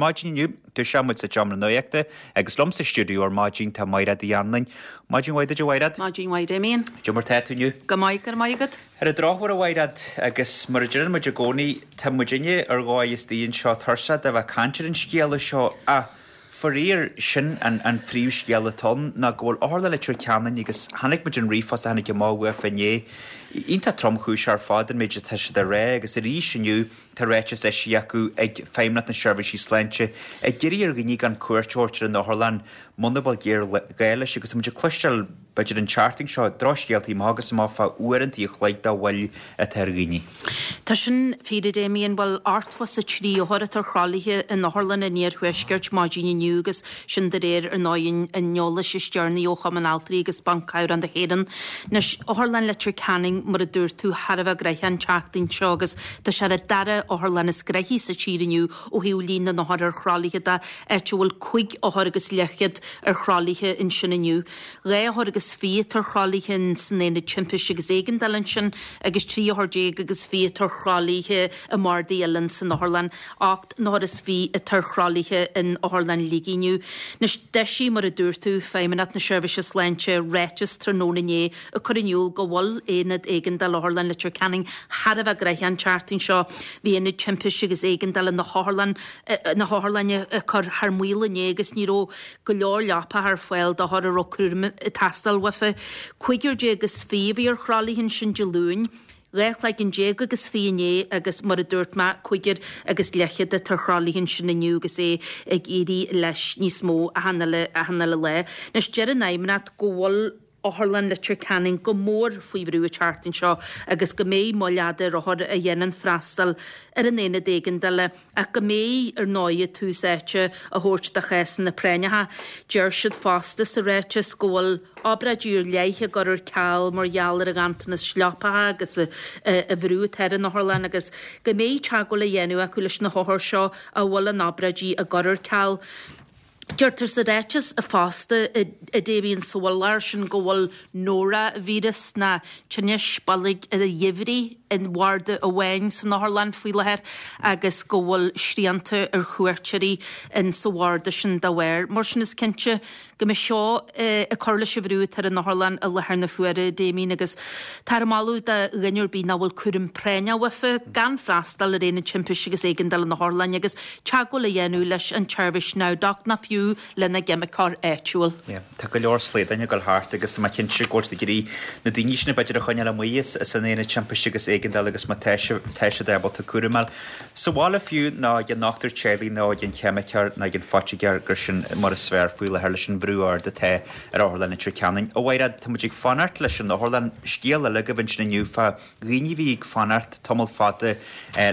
maidin inniu, toiseoidh muid sa tseomra nuachta agus liom sa stiúideo ar maidin tá Mairéad Uí Anluain. Maidin mhaith duit a Mhairéad. Maidin mhaith Damien. Cad é mar tá tú inniu? Go maith, go raibh maith agat. Ar an drochuair a Mhairéad, agus mar a deireann muid i gcónaí, tá muidinne ar dhóigh istigh anseo tuirseach de bheith ag caint ar an scéala seo ach faraor, sin an phríomhscéal atá ann, ná go bhfuil Otharlann Leitir Ceanainn, agus chonaic muid an ríomhphost a tháinig amach uafa inné, iontach tromchúiseach ar fad an méid atá siad a rá agus arís inniu tá ráiteas eisithe acu ag Feidhmeannacht na Seirbhísí Sláinte ag iarraidh ar dhaoine gan cuairt a thabhairt ar an otharlann muna bhfuil géarghá leis agus tá muid ag cloisteáil b'fhéidir an tseachtain seo, drochscéaltaí amach agus amach fá uaireanta an chloig de mhoill atá ar dhaoine. Tá sin fíor a Damien, bhuel, 83 othar atá ar thralaithe in otharlanna an iarthuaiscirt maidin inniu agus sin de réir, ar ndóigh, an eolais is deireanaí ó Chumann Altraí agus Ban Cabhrach na hÉireann. Anois, Otharlann Leitir Ceanainn, mar a dúirt tú, thar a bheith gnoitheach an tseachtain seo agus tá sé ar an dara otharlann is gnoithí sa tír inniu ó thaobh líon na n-othar ar thralaithe de, áit a bhfuil cúig othar agus leathchéad ar thralaithe ansin inniu. 22 othar atá ar thralaithe san Aonad Timpiste agus Éigeandála ansin agus 13 othar agus 20 atá ar thralaithe i mbardaí eile san otharlann. 28 n-othar atá ar thralaithe in Otharlann Shligigh inniu. Anois, d'eisigh, mar a dúirt tú, Feidhmeannacht na Seirbhíse Sláinte ráiteas tráthnóna inné ag cur in iúl go bhfuil Aonad Éigeandála Otharlann Leitir Ceanainn thar a bheith gnoitheach an tseachtain seo. Bhí Aonad Timpiste agus Éigeandála na hotharlainne ag cur thar maoil inné agus ní raibh go leor leapacha ar fáil d'othair a raibh cúram ag teastáil uafa. 25 a bhí ar thralaithe ansin Dé Luain, 12 chloigeann agus 20 inné agus mar a dúirt mé, cúigear agus leathchéad atá ar thralaithe ansin inniu agus é ag éirí leis níos mó achan uile lá. Anois deir an Fheidhmeannacht go bhfuil Otharlann Leitir Ceanainn go mór faoi bhrú an tseachtain seo agus go mbeidh moill fhada ar othair a dhéanann freastal ar an aonad éigeandála ach go mbeidh, ar ndóigh, tús áite á thabhairt do chásanna práinneacha. Deir siad fosta sa ráiteas go bhfuil obráidí ar leith á gcur ar ceal mar gheall ar an ghanntanas leapacha agus an bhrú atá ar an otharlann agus go mbeidh teagmháil á dhéanamh acu leis na hothair seo a bhfuil a n-obráidí á gcur ar ceal. Deirtear sa ráiteas fosta, a Damien, sa bhfuil air sin go bhfuil nóra-víreas ná tinneas boilg an gheimhridh i mbarda amháin san otharlann faoi láthair agus go bhfuil srianta ar chuairteoirí in sa bharda sin dá bharr. Mar sin is cinnte go mbeidh seo ag cur leis an bhrú atá ar an otharlann i láthair na huaire, a Damien, agus táthar ag moladh do dhuine ar bith nach bhfuil cúram práinneach uafa gan freastal ar Aonad Timpiste agus Éigeandála na hOtharlainne agus teagmháil a dhéanamh leis an tseirbhís NowDoc ná fiú lena gceimiceoir áitiúil. Yeah, tá go leor slaodáin ag dul thart agus tá mé cinnte go bhfuil siad ag iarraidh na daoine sin b'fhéidir a choinneáil amuigh as an aonad timpiste agus éigeandála agus má tá siad ábalta cúram a fháil sa bhaile fiú nó ag an ndochtúir teaghlaigh nó ag an cheimiceoir nó ag an phoitigéir gur sin mar is fearr faoi láthair leis an bhrú ard atá ar Otharlann Leitir Ceanainn. A Mhairéad, tá muid ag fanacht leis an otharlann. Scéal eile agaibh ansin inniu fá dhaoine a bhí ag fanacht tamall fada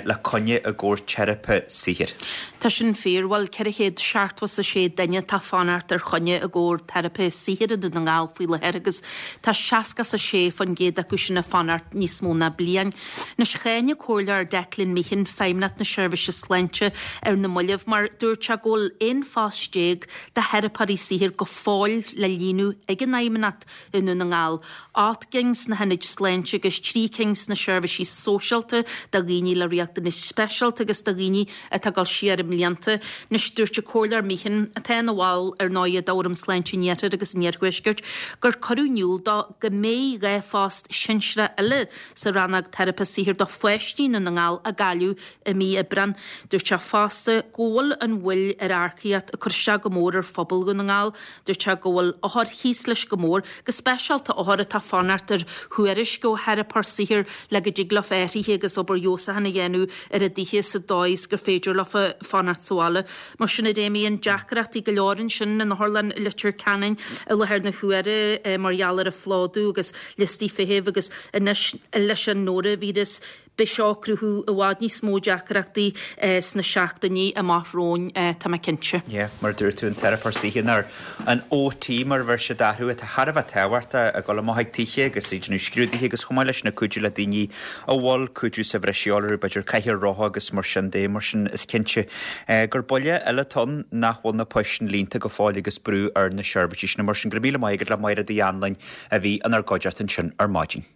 le coinne i gcomhair teiripe saothair. Tá sin fíor. Bhuel, 476 duine atá ag fanacht ar choinne i gcomhair teiripe saothair i nDún na nGall faoi láthair agus tá 66% acu sin ag fanacht níos mó ná bliain. Anois, cháin an Comhairleoir Declan Meehan Feidhmeannacht na Seirbhíse Sláinte ar na mallaibh mar dúirt sé go bhfuil 11 phost de theiripeoirí saothair go fóill le líonadh ag an Fheidhmeannacht i nDún na nGall. 8 gcinn sna hionaid sláinte agus 3 cinn sna seirbhísí sóisialta do dhaoine le riachtanais speisialta agus do dhaoine atá ag dul siar i mblianta. Anois, dúirt an Comhairleoir Meehan, atá ina bhall ar ndóigh d'Fhóram Sláinte an Iarthair agus an Iarthuaiscirt, gur cuireadh in iúl dó go mbeidh 2 phost sinsearach eile sa rannóg teiripe saothair do pháistí i nDún na nGall á gcailleadh i mí Aibreáin. Dúirt sé fosta go bhfuil an mhoill ar earcaíocht ag cur isteach go mór ar phobal Dhún na nGall. Dúirt sé go bhfuil othair thíos leis go mór, go speisialta othair atá ag fanacht ar thuairisc ó theiripeoir saothair le go dtig leofa athruithe agus obair fheabhsúcháin a dhéanamh ar a dtithe sa dóigh is gur féidir leofa fanacht sa bhaile. Mar sin, a Damien, deacrachtaí go leor ansin in Otharlann Leitir Ceanainn i láthair na huaire mar gheall ar an phlódú agus liostaí feithimh agus anois leis an nóravíreas. Beidh seo ag cruthú i bhfad níos mó deacrachtaí sna seachtainí amach romhainn, tá mé cinnte. Yeah, mar a dúirt tú, an teiripeoir saothair nó an OT mar a bheir siad orthu, atá thar a bheith tábhachtach ag dul amach ag tithe agus ag déanamh scrúduithe agus chomh maith leis sin ag cuidiú le daoine a bhfuil cuidiú sa bhreis a dhíobháil orthu, b'fhéidir cathaoir rotha agus mar sin de. Mar sin is cinnte gur buille eile atá ann nach bhfuil na poist sin líonta go fóill agus brú ar na seirbhísí sin. Mar sin, go raibh míle maith agat le Máire Uí Anluain a bhí inár gcuideachta ansin ar maidin.